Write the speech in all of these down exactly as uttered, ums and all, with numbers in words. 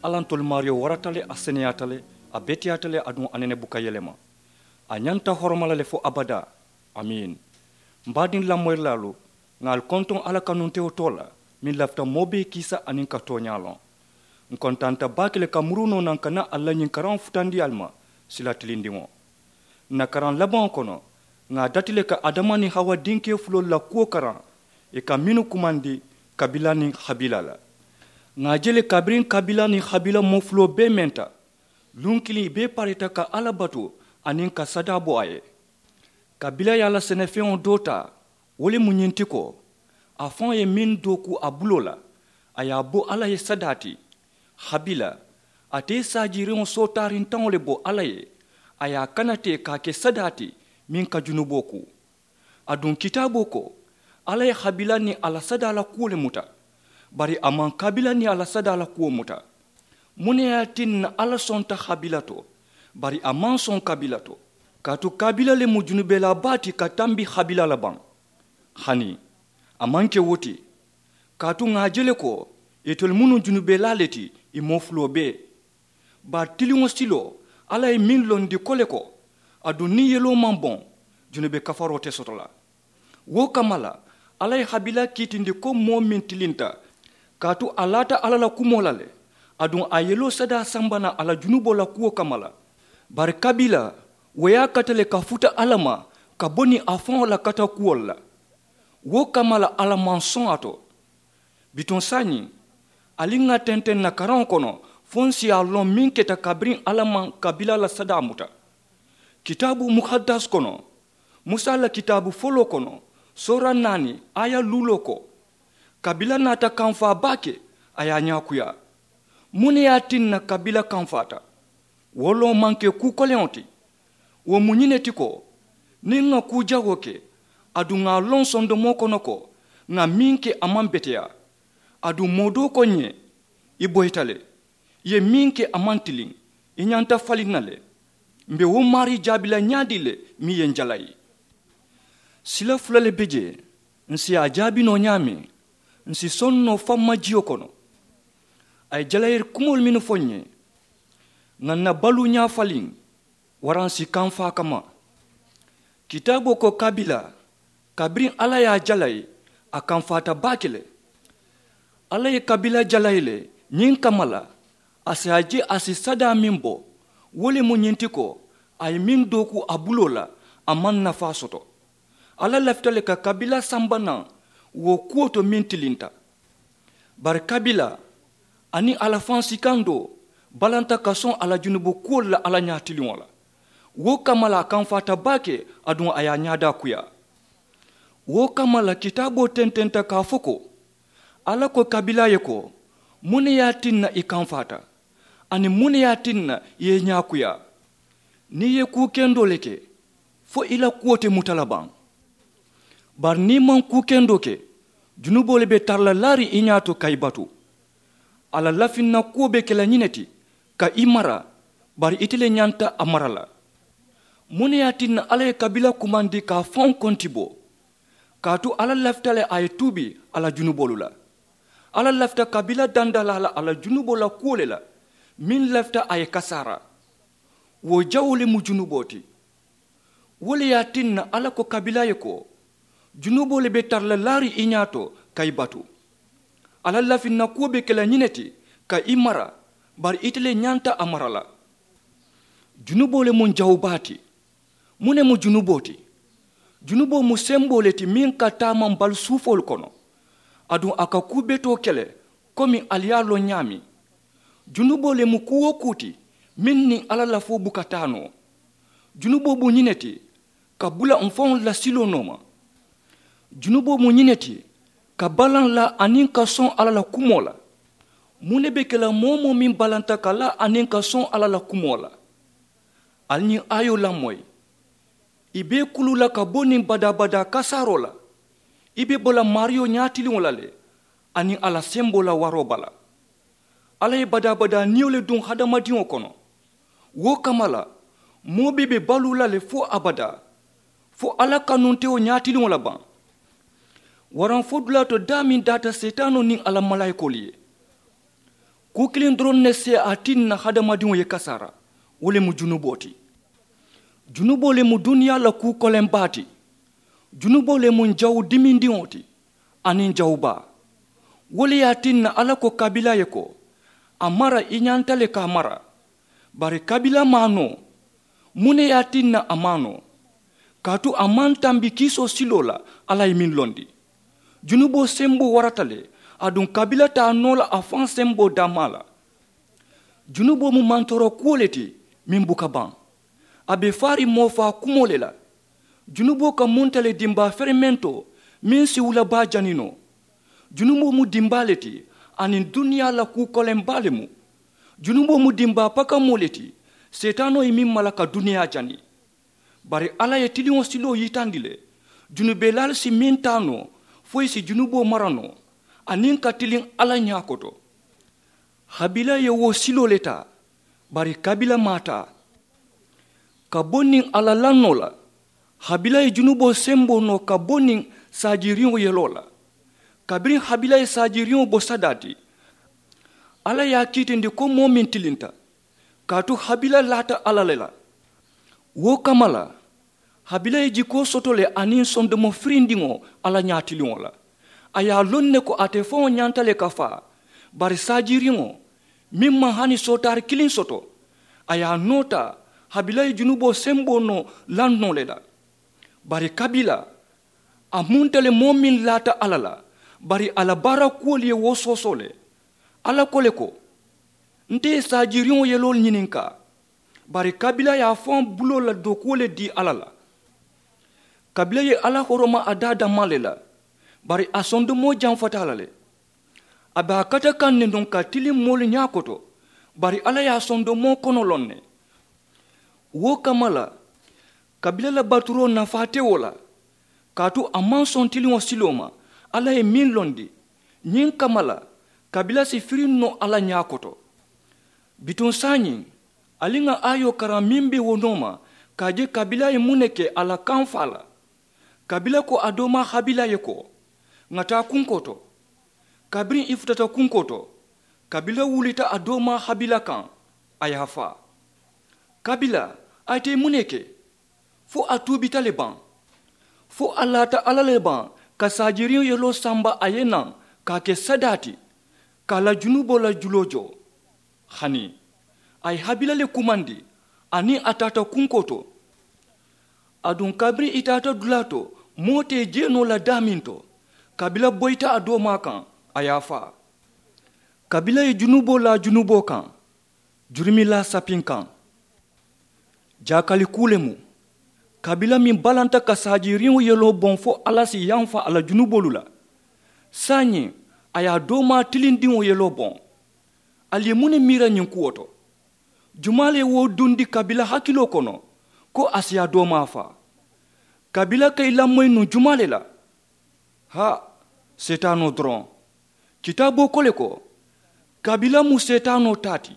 Alla ntolu maariyo warata le, a seneyaata le, a beteyaata le, aduŋ a nene buka yelema. A ñanta horoma la le fo abadaa. Amiin. M baadiŋ lamoyirilaalu, ŋà ali kontoŋ alla kanuntewo too la, meŋ lafita moo bee kiisa aniŋ ka tooñaa loŋ. N kontaanta baake le ka muruu noo naŋ ka naa ali la ñiŋ karaŋo futandi ali ma, sila tilindiŋo. N na karaŋ labaŋo kono, ŋà a dati le ka adama niŋ hawa dinkee fuloolu la kuwo karaŋ, ì ka mennu kumandi, kabila niŋ habila la. Ŋà a je le kabiriŋ kabila niŋ habila moo fuloo bee menta, luŋ kiliŋ ì bee parita ka alla batu, aniŋ ka sadaa bo a ye. Kabila ye a la senefeŋo doo taa, wo le mu ñiŋ ti ko, a faŋo ye meŋ dooku a buloo la, a ye a bo alla ye sadaa ti. Habila, ate ye saajiiriŋo sootaariŋ taŋo le bo alla ye, a ye a kana te ka a ke sadaa ti, meŋ ka junuboo kuu. Aduŋ kitaaboo ko, alla ye habila niŋ a la sadaa la kuwo le muta, bari a maŋ kabila niŋ a la sadaa la kuwo muta. Muŋ ne ye a tinna alla sonta habila to, bari a maŋ soŋ kabila to? Kaatu kabila le mu junubelaa baa ti ka tambi habila la baŋ? Hani, a maŋ ke wo ti. Kaatu ŋà a je le ko, itelu mu nuŋ junubelaa le ti, ì moo fuloo bee. Bari tiliŋo siloo, alla ye meŋ londi ko le ko, aduŋ niŋ yeloo maŋ boŋ, junube kafaroo te soto la. Wo kamma la, alla ye habila kiitindi ko moo meŋ tilinta, kaatu a laata alla la kumoo la le, aduŋ a yeloo sadaa samba naŋ a la junuboo la kuwo kamma la. Bari kabila, wo ye a kata le ka futa alla ma, ka bo niŋ a faŋo la kata kuwolu la. Wo kamma la alla maŋ soŋ a to. Bituŋ saayiŋ, ali ŋà tenteŋ n na karaŋo kono, fo n si a loŋ meŋ keta kabiriŋ alla maŋ kabila la sadaa muta. Kitaabu muhaddas kono, musa la kitaabu foloo kono, soora naani, aya luuloo ko, kabila naata kamfaa baake, a ye a ñaakuyaa. Muŋ ne ye a tinna kabila kamfaata? Wo loŋ maŋ ke kuu koleŋo ti. Wo mu ñiŋ ne ti ko, niŋ ŋà kuu jawoo ke, aduŋ ŋà a loŋ sondomoo kono ko, ŋà meŋ ke a maŋ beteyaa. Aduŋ moo doo ko ǹ ye, i boyita le. I ye meŋ ke a maŋ tiliŋ, i ñanta faliŋ na le. M be wo maarii jaabi la ñaadii le, meŋ ye n jalayi? Sila fula le be jee, n si a jaabi noo ñaameŋ, n si soŋ noo famma jiyo kono. A ye jalayiri kumoolu mennu fo n ye, ŋà n na baluu ñaa faliŋ, waraŋ si kamfaa kamma. Kitaaboo ko kabila, kabiriŋ alla ye a jalayi, a kamfaata baake le. Alla ye kabila jalayi le ñiŋ kamma la, a si a je a si sadaa meŋ bo, wo le mu ñiŋ ti ko, a ye meŋ dooku a buloo la, a maŋ nafaa soto. Alla lafita le ka kabila samba naŋ wo kuwo to meŋ tilinta. Bari kabila aniŋ a la faŋ sikandoo balanta ka soŋ a la junubu kuwolu la alla ñaatiliŋo la. Wo kamma la a kamfaata baake, aduŋ a ye a ñaadaa kuyaa. Wo kamma la kitaaboo tententa ka a fo ko, alla ko kabila ye ko, muŋ ne ye a tinna i kamfaata, aniŋ muŋ ne ye a tinna i ye i ñaakuyaa? Niŋ i ye kuu kendoo le ke, fo i la kuwo te muta la baŋ? Bari niŋ i maŋ kuu kendoo ke, junuboo le be tara la laariŋ i ñaa to ka i batu. A la lafinna kuwo be ke la ñiŋ ne ti, ka i mara, bari ite le ñanta a mara la. Muŋ ne ye a tinna alla ye kabila kumandi ka a faŋo konti bo? Kaatu alla lafita le a ye tuubi a la junuboolu la. Alla lafita kabila dandalaa la a la junuboo la kuwo le la, meŋ lafita a ye kasaara. Wo jawoo le mu junuboo ti. Wo le ye a tinna alla ko kabila ye ko, junuboo le be tara la laariŋ i ñaa to ka i batu. A la lafinna kuwo be ke la ñiŋ ne ti, ka i mara, bari ite le ñanta a mara la. Junuboo le mu n jawu baa ti. Muŋ ne mu junuboo ti? Junuboo mu semboo le ti meŋ ka taamaŋ bali suufoolu kono, aduŋ a ka kuu betoo ke le, komi ali ye a loŋ ñaameŋ. Junuboo le mu kuu wo kuu ti meŋ niŋ alla lafoo buka taa noo. Junuboo mu ñiŋ ne ti, ka bula mfaŋolu la siloo nooma. Junuboo mu ñiŋ ne ti, ka balaŋ la aniŋ ka soŋ alla la kumoo la. Muŋ ne be ke la moo moo meŋ balanta ka la aniŋ ka soŋ alla la kumoo la? Ali ñiŋ aayoo lamoyi. I be i kuluu la ka bo niŋ badaa-badaa kasaaroo la. I be bo la maariyo ñaatiliŋo la le, aniŋ a la semboo la waroo bala. Alla ye badaa-badaa niyo le duŋ hadamadiŋo kono. Wo kamma la, moo bee be baluu la le fo abadaa, fo alla kanuntewo ñaatiliŋo la baŋ? Waraŋ fo dulaa to daa meŋ daata seetaanoo niŋ a la malaayikoolu ye. Kuu kiliŋ doroŋ ne si a tinna hadamadiŋo ye kasaara. Wo le mu junuboo ti. Junuboo le mu duniyaa la kuu koleŋ baa ti. Junuboo le mu jawu dimindiŋo ti aniŋ jawu baa. Wo le ye a tinna alla ko kabila ye ko, a mara i ñanta le ka a mara. Bari kabila maŋ a noo. Muŋ ne ye a tinna a maŋ a noo? Kaatu a maŋ tambi kiisoo siloo la. Alla ye meŋ londi, junuboo semboo warata le. Aduŋ kabila te a noo la a faŋ semboo dammaa la. Junuboo mu mantoora kuwo le ti meŋ buka baŋ. A be faariŋ moo faa kumoo le la. Junuboo ka munta le dimbaa ferementoo meŋ si wula baa jani noo. Junuboo mu dimbaa le ti. Aniŋ duniyaa la kuu koleŋ baa le mu. Junuboo mu dimbaa pakamoo le ti. Seetaanoo ye meŋ mala ka duniyaa jani. Bari alla ye tiliŋo siloo yitandi le. Junubelaalu si meŋ taa noo fo i si junuboo mara noo aniŋ ka tiliŋ alla ñaa koto. Habila ye wo siloo le taa. Bari kabila maŋ a taa. Ka bo niŋ a la lannoo la, habila ye junuboo semboo noo ka bo niŋ saajiiriŋo yeloo la. Kabiriŋ habila ye saajiiriŋo bo sadaa ti, alla ye a kiitindi ko moo meŋ tilinta. Kaatu habila laata alla le la. Wo kamma la, habila ye jikoo soto le aniŋ sondomo firindiŋo alla ñaatiliŋo la. A ye a loŋ ne ko ate faŋo ñanta le ka faa. Bari saajiiriŋo meŋ maŋ hani sootaari kiliŋ soto, a ye a noo taa. Habila ye junuboo semboo noo lannoo le la. Bari kabila a munta le moo meŋ laata alla la. Bari a la baara kuwolu ye wo soosoo le. Alla ko le ko, nte ye saajiiriŋo yeloolu ñininkaa. Bari kabila ye a faŋ buloo la dookuwo le dii alla la. Kabila ye alla horoma a daa dammaa le la. Bari a sondomoo jamfata a la le. A be a kata kaŋ ne nuŋ ka tiliŋ moolu ñaa koto. Bari alla ye a sondomoo kono loŋ ne. Wo kamma la, kabila la baturoo nafaa te wo la. Kaatu a maŋ soŋ tiliŋo siloo ma. Alla ye meŋ londi, ñiŋ kamma la, kabila si firiŋ noo alla ñaa koto. Bituŋ saayiŋ, ali ŋà aayoo karaŋ meŋ be wo nooma, ka a je kabila ye muŋ ne ke a la kaŋ faa la. Kabila ko a doomaa habila ye ko, ŋà taa kunkoo to. Kabiriŋ i futata kunkoo to, kabila wulita a doomaa habila kaŋ, a ye a faa. Kabila, a ye te muŋ ne ke? Fo a tuubita le baŋ? Fo a laata alla le baŋ ka saajiiriŋ yeloo samba a ye naŋ ka a ke sadaa ti, ka a la junuboo la juloo joo? Hani a ye habila le kumandi, aniŋ a taata kunkoo to. Aduŋ kabiriŋ i taata dulaa to, moo te jee noo la daameŋ to, kabila boyita a doomaa kaŋ, a ye a faa. Kabila ye junuboo laa junuboo kaŋ, jurumilaa sapiŋ kaŋ. Jaakali kuu le mu, kabila meŋ balanta ka saajiiriŋo yeloo boŋ fo alla si yamfa a la junuboolu la. Saayiŋ, a ye a doomaa tilindiŋo yeloo boŋ. Ali ye muŋ ne miira ñiŋ kuwo to? Jumaa le ye wo dundi kabila hakiloo kono ko a si a doomaa faa? Kabila ka i lamoyi nuŋ jumaa le la? Haa, seetaanoo doroŋ. Kitaaboo ko le ko, kabila mu seetaanoo taa ti.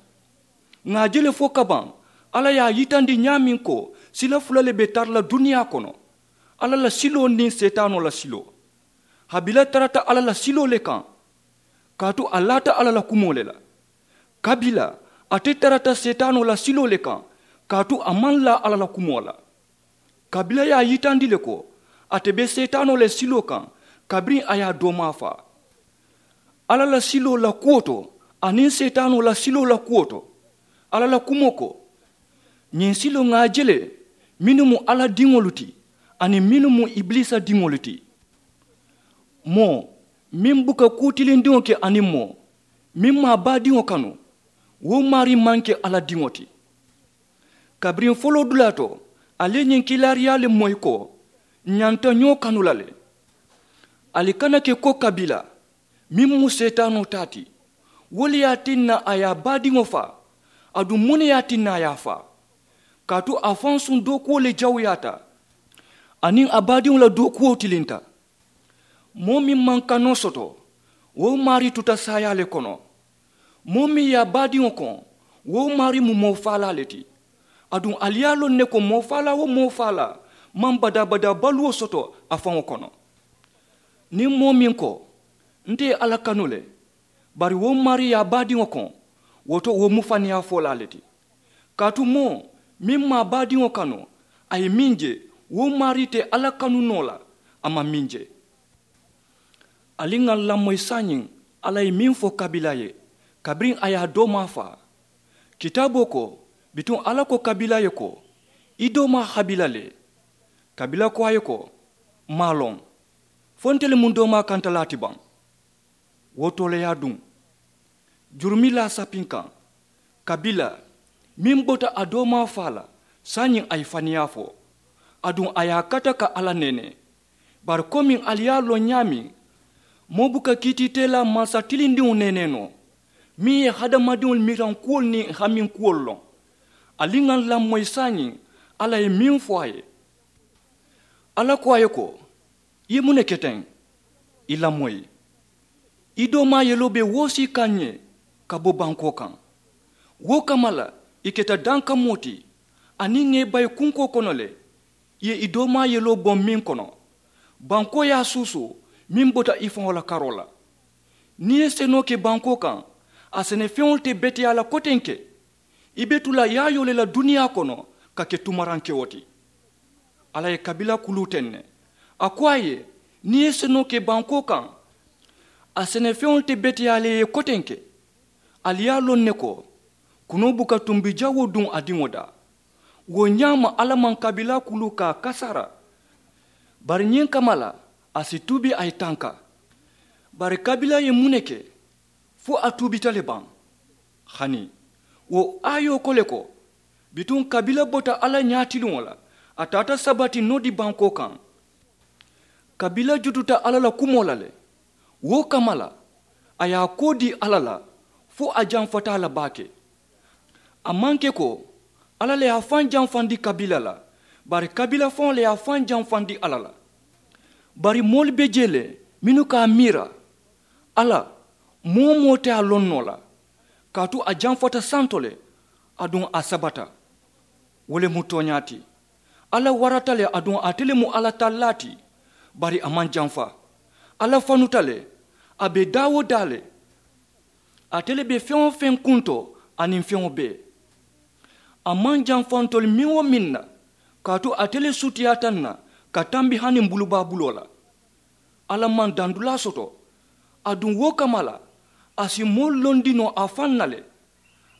Ŋà a je le fo kabaŋ, alla ye a yitandi ñaameŋ ko sila fula le be tara la duniyaa kono. Alla la siloo niŋ seetaanoo la siloo. Habila tarata alla la siloo le kaŋ, kaatu a laata alla la kumoo le la. Kabila, ate tarata seetaanoo la siloo le kaŋ, kaatu a maŋ laa alla la kumoo la. Kabila ye a yitandi le ko ate be seetaanoo le siloo kaŋ, kabiriŋ a ye a doomaa faa. Alla la siloo la kuwo to aniŋ seetaanoo la siloo la kuwo to, alla la kumoo ko, ñiŋ siloo ŋà a je le, mennu mu alla diŋolu ti aniŋ mennu mu ibiliisa diŋolu ti. Moo meŋ buka kuu tilindiŋo ke aniŋ moo meŋ maŋ a baadiŋo kanu, wo maarii maŋ ke alla diŋo ti. Kabiriŋ foloo dulaa to, ali ye ñiŋ kiilaariyaa le moyi ko, ñanta ñoo kanu la le. Ali kana ke ko kabila meŋ mu seetaanoo taa ti. Wo le ye a tinna a ye a baadiŋo faa. Aduŋ muŋ ne ye a tinna a ye a faa? Kaatu a faŋ suŋ dookuwo le jawuyaata, aniŋ a baadiŋo la dookuwo tilinta. Moo meŋ maŋ kanoo soto, wo maarii tuta saayaa le kono. Moo meŋ ye a baadiŋo koŋ, wo maarii mu moo faalaa le ti. Aduŋ ali ye a loŋ ne ko moo faalaa wo moo faalaa maŋ badaa-badaa baluwo soto a faŋo kono. Niŋ moo meŋ ko, nte ye alla kanu le, bari wo maarii ye a baadiŋo koŋ, Wo to wo mu faniyaa folaa le ti. Kaatu moo meŋ maŋ a baadiŋo kanu, a ye meŋ je, wo maarii te alla kanu noo la, a maŋ meŋ je. Ali ŋà lamoyi saayiŋ, alla ye meŋ fo kabila ye, kabiriŋ a ye a doomaa faa. Kitaaboo ko, bituŋ alla ko kabila ye ko, i doomaa habila le. Kabila ko a ye ko, maŋ a loŋ. Fo ntelu mu doomaa kantalaa ti baŋ? Wo tooleeyaa duŋ, jurumilaa sapinkaŋ, kabila meŋ bota a doomaa faa la, saayiŋ a ye faniyaa fo. Aduŋ a ye a kata ka alla neenee. Bari komiŋ ali ye a loŋ ñaameŋ, moo buka kiitiiteelaa mansa tilindiŋo neenee noo, meŋ ye hadamadiŋolu mirankuwolu niŋ haminkuwolu loŋ. Ali ŋà lamoyi saayiŋ, alla ye meŋ fo a ye. Alla ko a ye ko, i ye muŋ ne ke teŋ? I lamoyi. I doomaa yeloo be woosii kaŋ ǹ ye ka bo bankoo kaŋ. Wo kamma la, i keta dankamoo ti, aniŋ ŋà i bayi kunkoo kono le, i ye i doomaa yeloo boŋ meŋ kono, bankoo ye a suusuu meŋ bota i faŋo la karoo la. Niŋ i ye senoo ke bankoo kaŋ, a senefeŋolu te beteyaa la kotenke. I be tu la yaayoo le la duniyaa kono ka ke tumarankewo ti. Alla ye kabila kuluu teŋ ne. A ko a ye, niŋ i ye senoo ke bankoo kaŋ, a senefeŋolu te beteyaa la i ye kotenke. Ali ye a loŋ ne ko, kunoo buka tumbi jawoo duŋ a diŋo daa. Wo ñaama alla maŋ kabila kuluu ka a kasaara. Bari ñiŋ kamma la, a si tuubi a ye tanka. Bari kabila ye muŋ ne ke? Fo a tuubita le baŋ? Hani, wo aayoo ko le ko, bituŋ kabila bota alla ñaatiliŋo la, a taata sabati nodi bankoo kaŋ. Kabila jututa alla la kumoo la le. Wo kamma la, a ye a koo dii alla la, fo a janfata a la baake. A maŋ ke ko alla le ye a faŋ janfandi kabila la, bari kabila faŋo le ye a faŋ janfandi alla la. Bari moolu be jee le mennu ka a miira, alla, moo-wo-moo te a loŋ noo la, kaatu a janfata santo le, aduŋ a sabata. Wo le mu tooñaa ti. Alla warata le, aduŋ ate le mu alla tallaa ti. Bari a maŋ janfa. Alla fanuta le, a be daa-wo-daa le. Ate le be feŋ-wo-feŋ kuntoo aniŋ feŋo bee. A maŋ janfa ntolu meŋ-wo-meŋ na, kaatu ate le sutiyaata ǹ na ka tambi hani m̀ bulubaa buloo la. Alla maŋ dandulaa soto. Aduŋ wo kamma la, a si moolu londi noo a faŋ na le.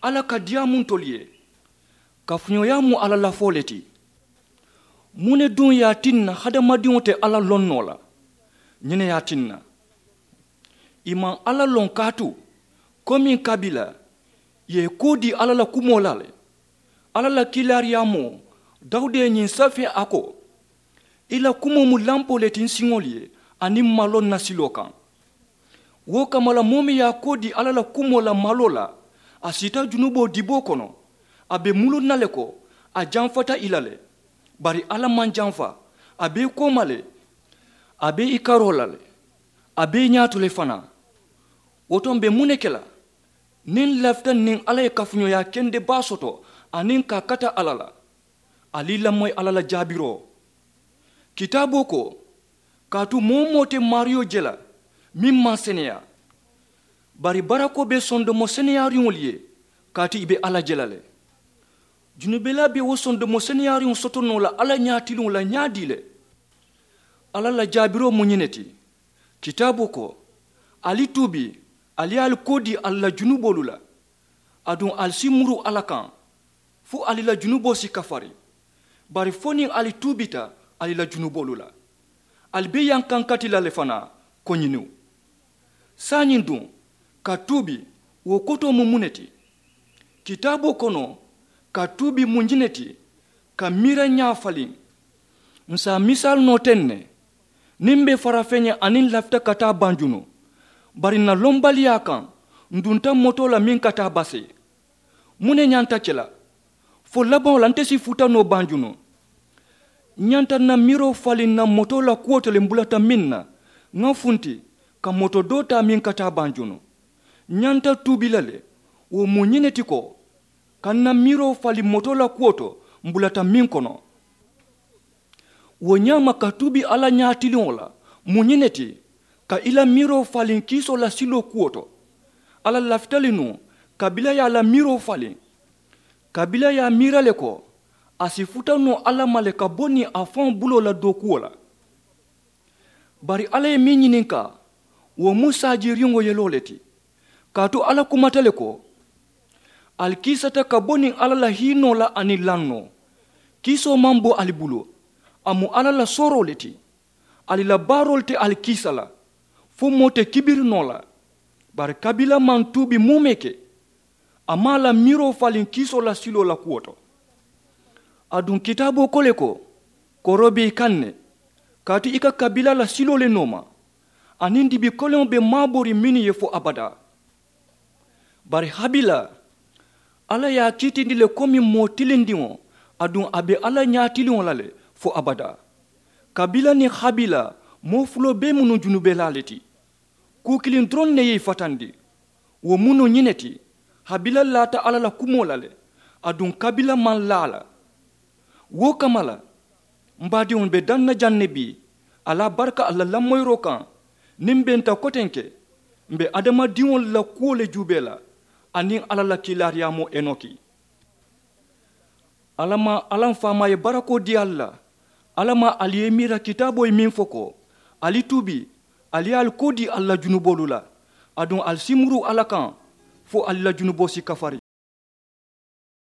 Alla ka diyaamu ntolu ye. Kafuñooyaa mu alla lafoo le ti. Muŋ ne duŋ ye a tinna hadamadiŋo te alla loŋ noo la? Ñiŋ ne ye a tinna, i maŋ alla loŋ kaatu, komiŋ kabila ye i koo dii alla la kumoo la le. Alla la kiilaariyaamoo, dawuda ye ñiŋ safee a ko, i la kumoo mu lampoo le ti n siŋolu ye, aniŋ maloo n na siloo kaŋ. Wo kamma la moo meŋ ye a koo dii alla la kumoo la maloo la, a siita junuboo diboo kono. A be muluŋ na le ko a janfata i la le. Bari alla maŋ janfa. A be i kooma le. A be i karoo la le. A be i ñaato le fanaa. Wo to m̀ be muŋ ne ke la? Niŋ n lafita niŋ alla ye kafuñooyaa kende baa soto aniŋ ka a kata alla la, ali i lamoyi alla la jaabiroo. Kitaaboo ko, kaatu moo-wo-moo te maariyo je la meŋ maŋ seneyaa. Bari barakoo be sondomo seneyaariŋolu ye, kaatu i be alla je la le. Junubelaa be wo sondomo seneyaariŋo soto noo la alla ñaatiliŋo la ñaadii le? Alla la jaabiroo mu ñiŋ ne ti. Kitaaboo ko, ali tuubi, ali ye ali koo dii ali la junuboolu la, aduŋ ali si muru alla kaŋ, fo ali la junuboo si kafari. Bari fo niŋ ali tuubita ali la junuboolu la, ali be yankankati la le fanaa ko ñiniw. Saayiŋ duŋ, ka tuubi, wo kotoo mu muŋ ne ti? Kitaaboo kono, ka tuubi mu ñiŋ ne ti, ka miirañaa faliŋ. Ǹ si a misaalu noo teŋ ne. Niŋ m̀ be farafeŋ ye aniŋ lafita ka taa banjunu, bari ǹ na lombaliyaa kaŋ, ǹ dunta motoo la meŋ ka taa basee. Muŋ ne ñanta ke la? Fo labaŋo la nte si futa noo banjunu. Ǹ ñanta ǹ na miiroo faliŋ ǹ na motoo la kuwo to le m̀ bulata meŋ na, ŋa funti, ka moto doo taa meŋ ka taa banjunu. Ǹ ñanta tuubi la le. Wo mu ñiŋ ne ti ko, ka ǹ na miiroo faliŋ motoo la kuwo to m̀ bulata meŋ kono. Wo ñaama ka tuubi alla ñaatiliŋo la mu ñiŋ ne ti, ka i la miiroo faliŋ kiisoo la siloo kuwo to. Alla lafita le nuŋ ka Kabila ye a la miiroo faliŋ, kabila ye a miira le ko a si futa noo alla ma le ka bo niŋ a faŋo buloo la dookuwo la. Bari alla ye meŋ ñininkaa, wo mu saajiriŋo yeloo le ti. Kaatu alla kumata le ko, ali kiisata ka bo niŋ alla la hiinoo la aniŋ lannoo. Kiisoo maŋ bo ali bulu, a mu alla la sooroo le ti. Ali la baaroolu te ali kiisa la, fo moo te kibiri noo la. Bari kabila maŋ tuubi muumee ke, a maŋ a la miiroo faliŋ kiisoo la siloo la kuwo to. Aduŋ kitaaboo ko le ko, koroo be i kaŋ ne, kaatu i ka kabila la siloo le nooma, aniŋ dibi koleŋo be maabooriŋ mennu ye fo abadaa. Bari habila, alla ye a kiitindi le komi moo tilindiŋo, aduŋ a be alla ñaatiliŋo la le fo abadaa. Kabila niŋ habila, moo fuloo bee mu nuŋ junubelaa le ti. Kuu kiliŋ doroŋ ne ye i fatandi. Wo mu nuŋ ñiŋ ne ti, habila laata alla la kumoo la le, aduŋ kabila maŋ laa a la. Wo kamma la, m baadiŋolu be daŋ na jaŋ ne bii, ali a baraka ali la lamoyiroo kaŋ. Niŋ m be nta kotenke, m be hadamadiŋolu la kuwo le juubee la, aniŋ alla la kiilaariyaamoo enoki. Alla maŋ alla m faamaa ye barakoo dii ali la. Alla maŋ ali ye i miira kitaaboo ye meŋ fo ko, ali tuubi, ali ye ali koo dii ali la junuboolu la, aduŋ ali si muru alla kaŋ, fo ali la junuboo si kafari.